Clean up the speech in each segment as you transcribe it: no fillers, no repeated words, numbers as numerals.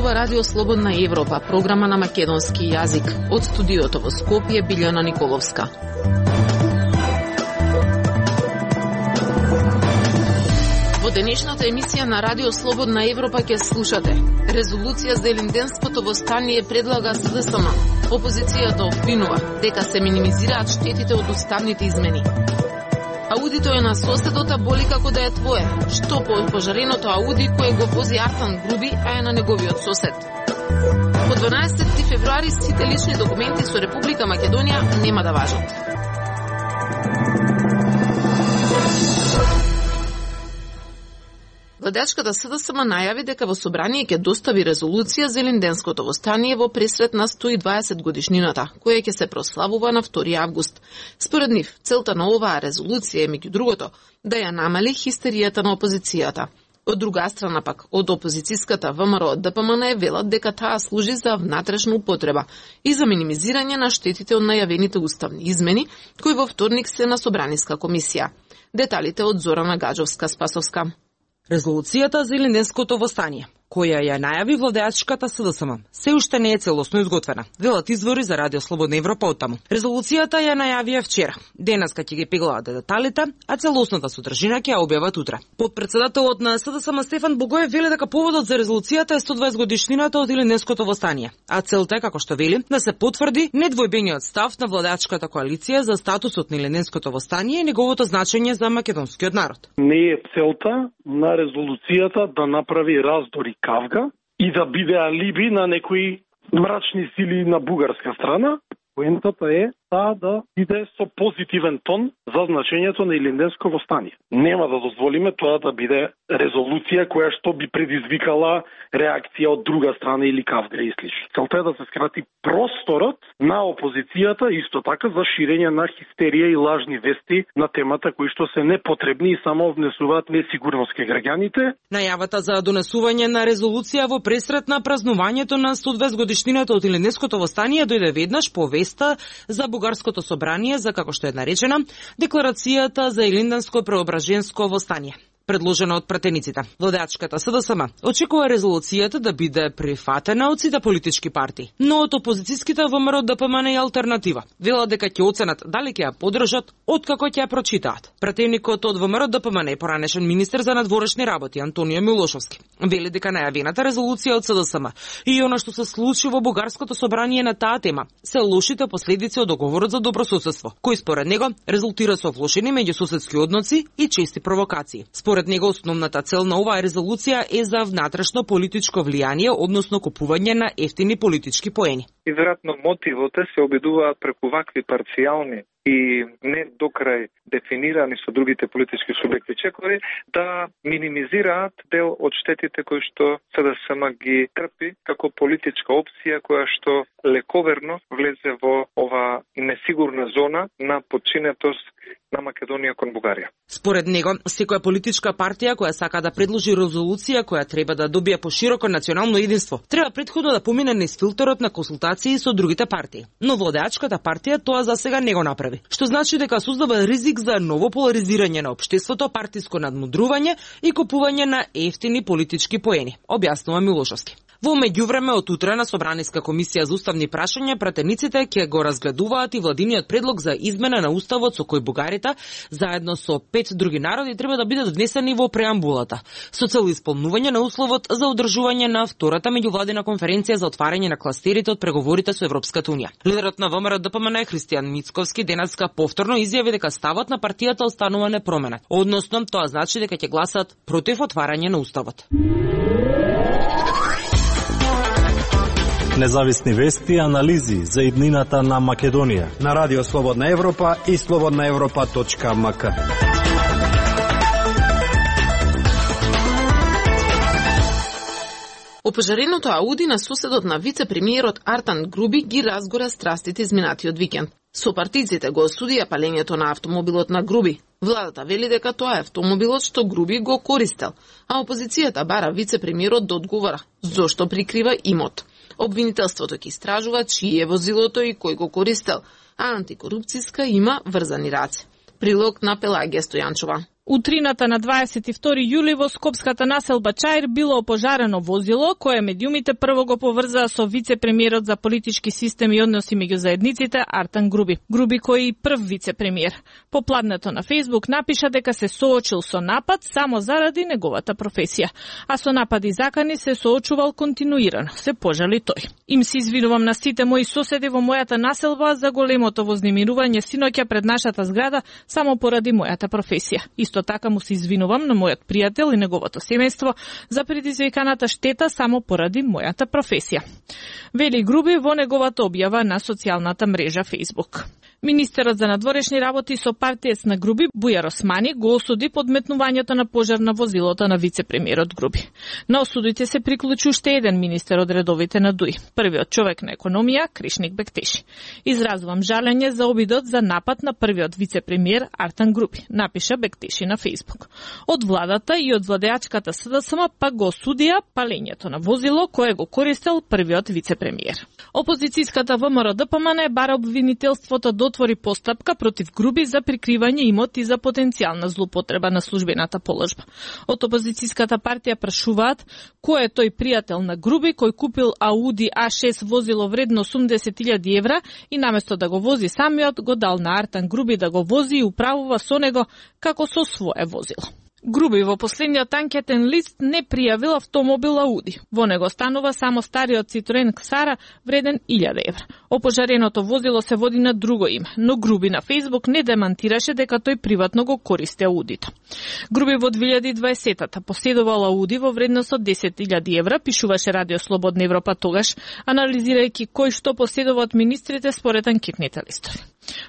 зборува Радио Слободна Европа, програма на македонски јазик. Од студиото во Скопје, Билјана Николовска. Во денешната емисија на Радио Слободна Европа ќе слушате: резолуција за елинденското востание предлага СДСМ. Опозицијата обвинува дека се минимизираат штетите од уставните измени. Аудито е на соседот, а боли како да е твое. Што по пожареното Ауди кое го вози Артан Груби, а е на неговиот сосед. По 12 февруари сите лични документи со Република Македонија нема да важат. Владеачката СДСМ најави дека во собрание ќе достави резолуција за елинденското востание во пресрет на 120 годишнината, која ќе се прославува на 2 август. Според нив, целта на оваа резолуција е, меѓу другото, да ја намали хистеријата на опозицијата. Од друга страна пак, од опозицијската ВМРО ДПМН велат дека таа служи за внатрешна употреба и за минимизирање на штетите од најавените уставни измени, кои во вторник се на Собраниска комисија. Деталите од Зорана Гаджовска-Спасовска. Резолуцијата за елинденското востание, која ја најави владеачката СДСМ, се уште не е целосно изготвена, велат извори за Радио Слободна Европа оттаму. Резолуцијата ја најавија вчера. Денеска ќе ги пеглаат деталите, а целосната содржина ќе ја објават утре. Подпредседателот на СДСМ Стефан Богоев вели дека поводот за резолуцијата е 120 годишнината од елинденското востание, а целта е, како што вели, да се потврди недвојбениот став на владеачката коалиција за статусот на елинденското востание и неговото значење за македонскиот народ. Не е целта на резолуцијата да направи раздор и кавга и да биде алиби на некои мрачни сили на бугарска страна. Поентата е да биде со позитивен тон за значењето на елинденско востание. Нема да дозволиме тоа да биде резолуција која што би предизвикала реакција од друга страна или кавга и слично. Целта е да се скрати просторот на опозицијата, исто така за ширење на хистерија и лажни вести на темата кои што се непотребни и само внесуваат несигурност кај граѓаните. Најавата за донесување на резолуција во пресрет на празнувањето на 120 годишнината од елинденското востание дојде веднаш по веста за Бугарското собрание за, како што е наречена, декларацијата за елинденско преображенско востание, предложена од пратениците. Владеачката СДСМ очекува резолуцијата да биде прифатена од сите политички партии, но од опозицијските ВМРО ДПМН и алтернатива велат дека ќе оценат дали ќе ја поддржат откако ќе ја прочитаат. Пратеникот од ВМРО ДПМН е поранешен министер за надворешни работи Антонио Милошовски вели дека најавената резолуција од СДСМ и она што се случи во Бугарското собрание на таа тема се лошите последици од договорот за добрососедство, кој според него резултира со влошени меѓусоседски односи и чести провокации. Според него основната цел на оваа резолуција е за внатрешно политичко влијание, односно купување на ефтини политички поени. И веројатно мотивите се обидуваат преку вакви парцијални и не докрај дефинирани со другите политички субјекти чекори да минимизираат дел од штетите кои што СДСМ ги трпи како политичка опција која што лековерно влезе во ова несигурна зона на подчинетост на Македонија кон Бугарија. Според него, секоја политичка партија која сака да предложи резолуција која треба да добие пошироко национално единство, треба претходно да помине низ филтерот на консултации со другите партии. Но владеачката партија тоа за сега не го направи, што значи дека создава ризик за ново поларизирање на општеството, партиско надмудрување и купување на ефтини политички поени, објаснува Милошовски. Во меѓувреме од утре на Собраниска комисија за уставни прашања пратениците ќе го разгледуваат и владиниот предлог за измена на уставот со кој бугарите заедно со 5 други народи треба да бидат внесени во преамбулата со цел исполнување на условот за одржување на втората меѓувладина конференција за отварање на кластерите од преговорите со Европската унија. Лидерот на ВМРО ДПМН Христијан Мицковски денеска повторно изјави дека ставот на партијата останува непроменет, односно тоа значи дека ќе гласат против отварање на уставот. Независни вести и анализи за иднината на Македонија на Радио Слободна Европа и slobodnaevropa.mk. Опожареното Ауди на соседот на вице-премиерот Артан Груби ги разгора страстите изминатиот викенд. Сопартиците го осудија палењето на автомобилот на Груби. Владата вели дека тоа е автомобилот што Груби го користел, а опозицијата бара вице-премиерот да одговара зошто прикрива имот. Обвинителството ќе истражува чие е возилото и кој го користел, а антикорупцијска има врзани раце. Прилог на Пелагија Стојанчова. Утрината на 22 јули во скопската населба Чаир било опожарено возило кое медиумите прво го поврзаа со вице-премиерот за политички систем и односи меѓу заедниците Артан Груби. Груби кој и прв вице-премиер. По пладнето на Facebook напиша дека се соочил со напад само заради неговата професија, а со напади и закани се соочувал континуирано, се пожали тој. Им се извинувам на сите мои соседи во мојата населба за големото вознемирување синоќа пред нашата зграда само поради мојата професија. Исто така му се извинувам на мојот пријател и неговото семејство за предизвиканата штета само поради мојата професија. Вели Груби во неговата објава на социјалната мрежа Facebook. Министерот за надворешни работи со партиец на Груби, Бујар Османи, го осуди подметнувањето на пожар на возилото на вице-премиерот Груби. На осудите се приклучи уште еден министер од редовите на ДУИ, првиот човек на економија, Кришник Бектеши. Изразувам жалење за обидот за напад на првиот вице-премиер Артан Груби, напиша Бектеши на Facebook. Од владата и од владеачката СДСМ пак го осудија палењето на возило кое го користел првиот вице-премиер. Опозицијската ВМРО ДПМН бара обвинителството да отвори постапка против Груби за прикривање имоти за потенцијална злоупотреба на службената положба. Од опозицијската партија прашуваат кој е тој пријател на Груби кој купил Ауди А6 возило вредно 80.000 евра и наместо да го вози самиот го дал на Артан Груби да го вози и управува со него како со свое возило. Груби во последниот анкетен лист не пријавил автомобил Ауди. Во него станува само стариот Citroen Xara вреден 1000 евра. Опожареното возило се води на друго име, но Груби на Facebook не демантираше дека тој приватно го користи Аудито. Груби во 2020-та поседувал Ауди во вредност од 10.000 евра, пишуваше Радио Слободна Европа тогаш, анализирајќи кој што поседува од министрите според анкетните листови.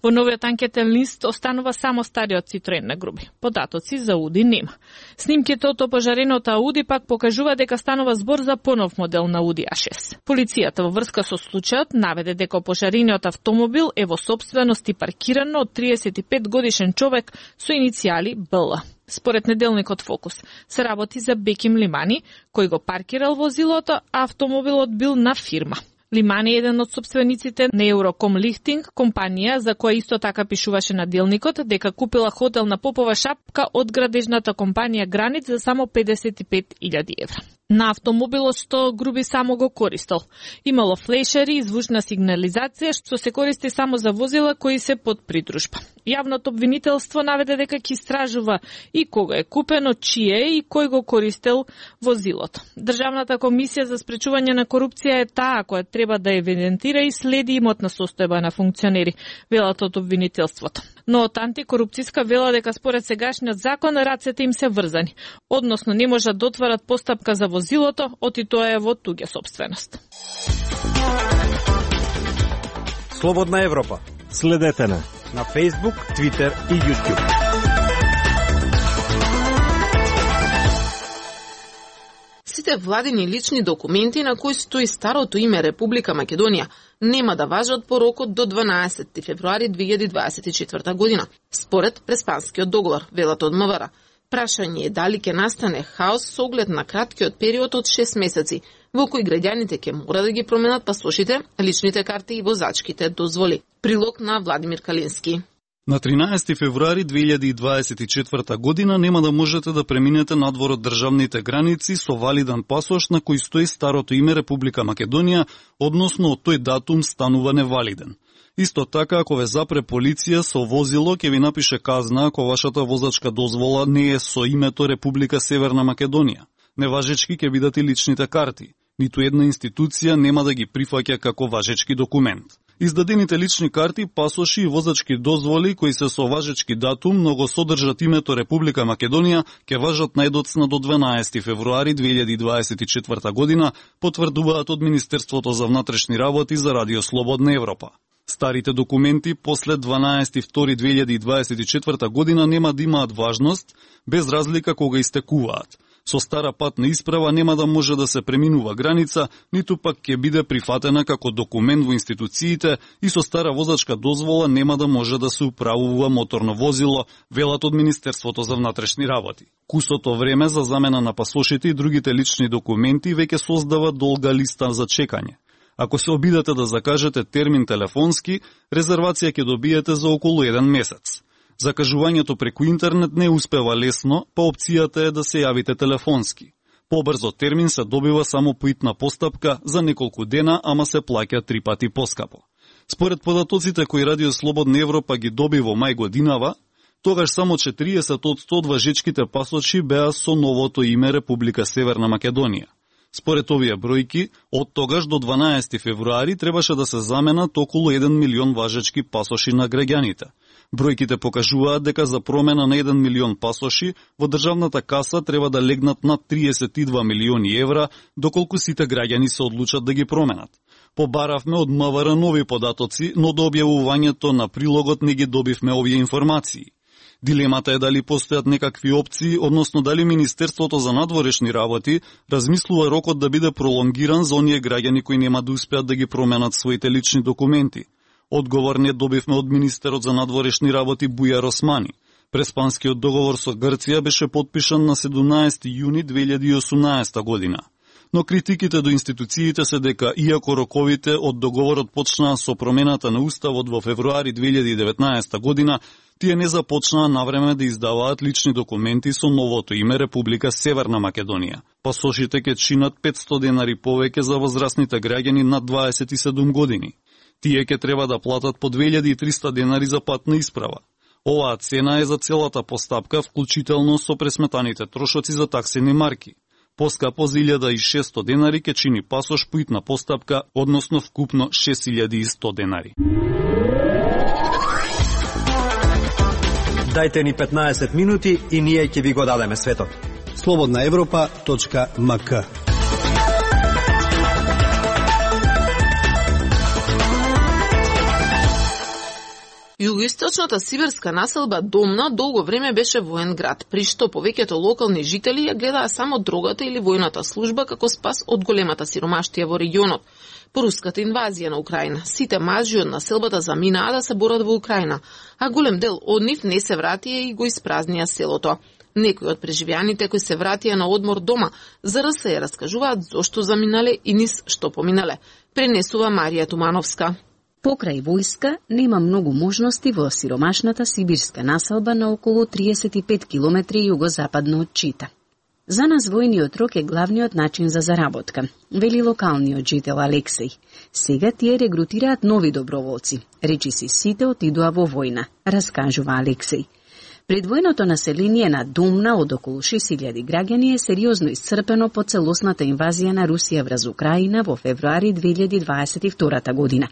Во новиот анкетен лист останува само стариот Citroen на Груби. Податоци за Ауди нема. Снимките од опожареното Ауди пак покажува дека станува збор за понов модел на Ауди А6. Полицијата во врска со случајот наведе дека опожарениот автомобил е во сопственост и паркирано од 35 годишен човек со иницијали БЛ. Според неделникот Фокус, се работи за Беким Лимани, кој го паркирал возилото, а автомобилот бил на фирма. Лимани е еден од собствениците на Eurocom Lifting, компанија за која исто така пишуваше на делникот дека купила хотел на Попова шапка од градежната компанија Границ за само 55.000 евра. На автомобилот што Груби само го користел. Имало флешери и звучна сигнализација што се користи само за возила кои се под придружба. Јавното обвинителство наведе дека ќе истражува и кога е купено, чие и кој го користел возилото. Државната комисија за спречување на корупција е таа која треба да евидентира и следи имотна состојба на функционери, велат од обвинителството. Но од антикорупцијска вела дека според сегашниот закон рацете им се врзани, односно не можат да отварат постапка за возилото, оти тоа е во туѓа сопственост. Слободна Европа. Следете на Facebook, Twitter и YouTube. Сите владини лични документи на кои стои старото име Република Македонија нема да важат по рокот до 12 февруари 2024 година, според Преспанскиот договор, велат од МВР. Прашање е дали ќе настане хаос со оглед на краткиот период од 6 месеци, во кој граѓаните ќе мора да ги променат пасошите, личните карти и возачките дозволи. Прилог на Владимир Калински. На 13 февруари 2024 година нема да можете да преминете надвор од државните граници со валидан пасош на кој стои старото име Република Македонија, односно од тој датум станува невалиден. Исто така, ако ве запре полиција со возило, ќе ви напише казна ако вашата возачка дозвола не е со името Република Северна Македонија. Неважечки ќе бидат и личните карти. Ниту една институција нема да ги прифаќа како важечки документ. Издадените лични карти, пасоши и возачки дозволи кои се со важечки датум, но го содржат името Република Македонија, ќе важат најдоцна до 12 февруари 2024 година, потврдуваат од Министерството за внатрешни работи за Радио Слободна Европа. Старите документи после 12.2.2024 година нема да имаат важност, без разлика кога истекуваат. Со стара патна исправа нема да може да се преминува граница, ниту пак ќе биде прифатена како документ во институциите и со стара возачка дозвола нема да може да се управува моторно возило, велат од Министерството за внатрешни работи. Кусото време за замена на пасошите и другите лични документи веќе создава долга листа за чекање. Ако се обидете да закажете термин телефонски, резервација ќе добиете за околу 1 месец. Закажувањето преку интернет не успева лесно, па опцијата е да се јавите телефонски. Побрзо термин се добива само по итна постапка за неколку дена, ама се плаќа 3 пати поскапо. Според податоците кои Радио Слободна Европа ги доби во мај годинава, тогаш само 40 од 100 важечките пасоши беа со новото име Република Северна Македонија. Според овие бројки, од тогаш до 12 февруари требаше да се заменат околу 1 милион важечки пасоши на граѓаните. Бројките покажуваат дека за промена на 1 милион пасоши во државната каса треба да легнат над 32 милиони евра, доколку сите граѓани се одлучат да ги променат. Побаравме од МВР нови податоци, но до објавувањето на прилогот не ги добивме овие информации. Дилемата е дали постојат некакви опции, односно дали Министерството за надворешни работи размислува рокот да биде пролонгиран за оние граѓани кои нема да успеат да ги променат своите лични документи. Одговор не добивме од министерот за надворешни работи Бујар Османи. Преспанскиот договор со Грција беше потпишан на 17 јуни 2018 година. Но критиките до институциите се дека, иако роковите од договорот почнаа со промената на Уставот во февруари 2019 година, тие не започнаа навреме да издаваат лични документи со новото име Република Северна Македонија. Пасошите ќе чинат 500 денари повеќе за возрастните граѓани над 27 години. Тие ќе треба да платат по 2300 денари за патна исправа. Оваа цена е за целата постапка, вклучително со пресметаните трошоци за таксени марки. Поскапо за 1600 денари ќе чини пасош по итна постапка, односно вкупно 6100 денари. Дајте ни 15 минути и ние ќе ви го дадеме светот. slobodnaevropa.mk. Југоисточната сибирска населба Домна долго време беше воен град, при што повеќето локални жители ја гледаа само дрогата или војната служба како спас од големата сиромаштија во регионот. По руската инвазија на Украина, сите мажи од населбата заминаа да се борат во Украина, а голем дел од нив не се вратија и го испразнија селото. Некои од преживеаните кои се вратија на одмор дома, за РС раскажуваат зошто заминале и низ што поминале. Пренесува Марија Тумановска. Покрај војска нема многу можности во сиромашната сибирска населба на околу 35 километри југозападно од Чита. За нас војниот рок е главниот начин за заработка, вели локалниот жител Алексеј. Сега тие регрутираат нови доброволци. Речиси сите отидоа во војна, раскажува Алексеј. Предвојното население на Домна од околу 6000 граѓани е сериозно исцрпено по целосната инвазија на Русија врз Украина во февруари 2022 година.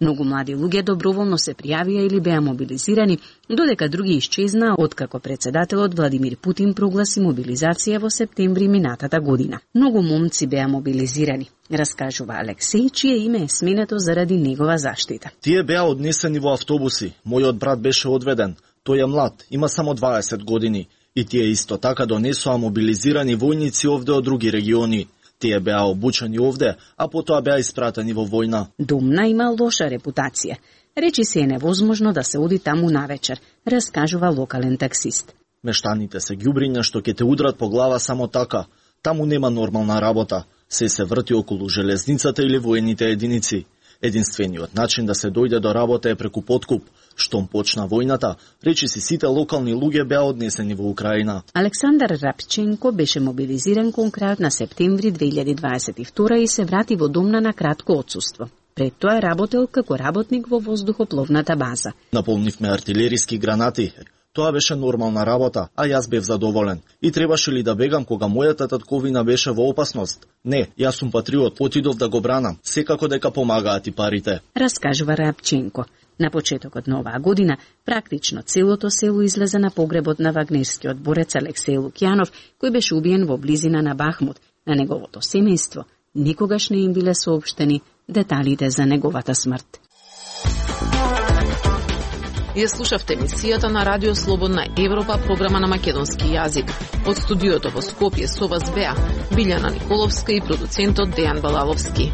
Многу млади луѓе доброволно се пријавија или беа мобилизирани, додека други исчезнаа откако председателот Владимир Путин прогласи мобилизација во септември минатата година. Многу момци беа мобилизирани, раскажува Алексеј, чие име е сменето заради негова заштита. Тие беа однесени во автобуси. Мојот брат беше одведен. Тој е млад, има само 20 години. И тие исто така донесоа мобилизирани војници овде од други региони. Тие беа обучени овде, а потоа беа испратени во војна. Домна има лоша репутација. Речи се е невозможно да се оди таму навечер, раскажува локален таксист. Мештаните се ѓубриња што ќе те удрат по глава само така. Таму нема нормална работа. Се врти околу железницата или воените единици. Единствениот начин да се дојде до работа е преку подкуп. Штом почна војната, речиси сите локални луѓе беа однесени во Украина. Александар Рапченко беше мобилизиран кон крајот на септември 2022 и се врати во Домна на кратко отсуство. Пред тоа работел како работник во воздухопловната база. Наполнивме артилериски гранати. Тоа беше нормална работа, а јас бев задоволен. И требаше ли да бегам кога мојата татковина беше во опасност? Не, јас сум патриот, отидов да го бранам. Секако дека помагаат и парите. Раскажува Рапченко. На почетокот на оваа година, практично целото село излезе на погребот на вагнерскиот борец Алексеј Лукјанов, кој беше убиен во близина на Бахмут. На неговото семејство никогаш не им биле соопштени деталите за неговата смрт. Ја слушавте емисијата на Радио Слободна Европа, програма на македонски јазик. Од студиото во Скопје со вас беа Билјана Николовска и продуцентот Дејан Балаловски.